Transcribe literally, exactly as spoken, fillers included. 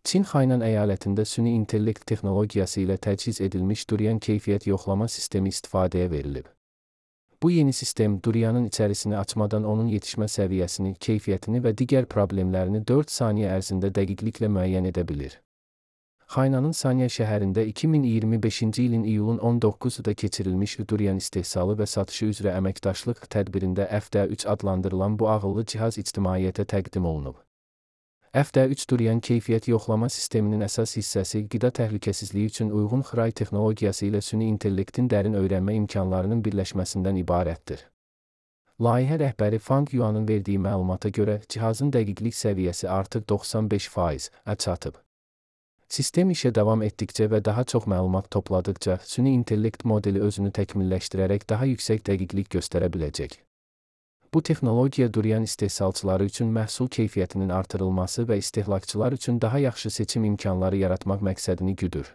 Çin Xaynan əyalətində süni intellekt texnologiyası ilə təchiz edilmiş durian keyfiyyət yoxlama sistemi istifadəyə verilib. Bu yeni sistem durianın içərisini açmadan onun yetişmə səviyyəsini, keyfiyyətini və digər problemlərini dörd saniyə ərzində dəqiqliklə müəyyən edə bilir. Xaynanın Sanya şəhərində iki min iyirmi beşinci ilin iyulun on doqquzunda keçirilmiş durian istehsalı və satışı üzrə əməkdaşlıq tədbirində F D üç adlandırılan bu ağıllı cihaz ictimaiyyətə təqdim olunub. F D üç durian keyfiyyət yoxlama sisteminin əsas hissəsi qida təhlükəsizliyi üçün uyğun xray texnologiyası ilə süni intellektin dərin öyrənmə imkanlarının birləşməsindən ibarətdir. Layihə rəhbəri Fang Yuanın verdiyi məlumata görə cihazın dəqiqlik səviyyəsi artıq doxsan beş faiz-ə çatıb. Sistem işə davam etdikcə və daha çox məlumat topladıqca süni intellekt modeli özünü təkmilləşdirərək daha yüksək dəqiqlik göstərə biləcək. Bu texnologiya durian istehsalçıları üçün məhsul keyfiyyətinin artırılması və istehlakçılar üçün daha yaxşı seçim imkanları yaratmaq məqsədini güdür.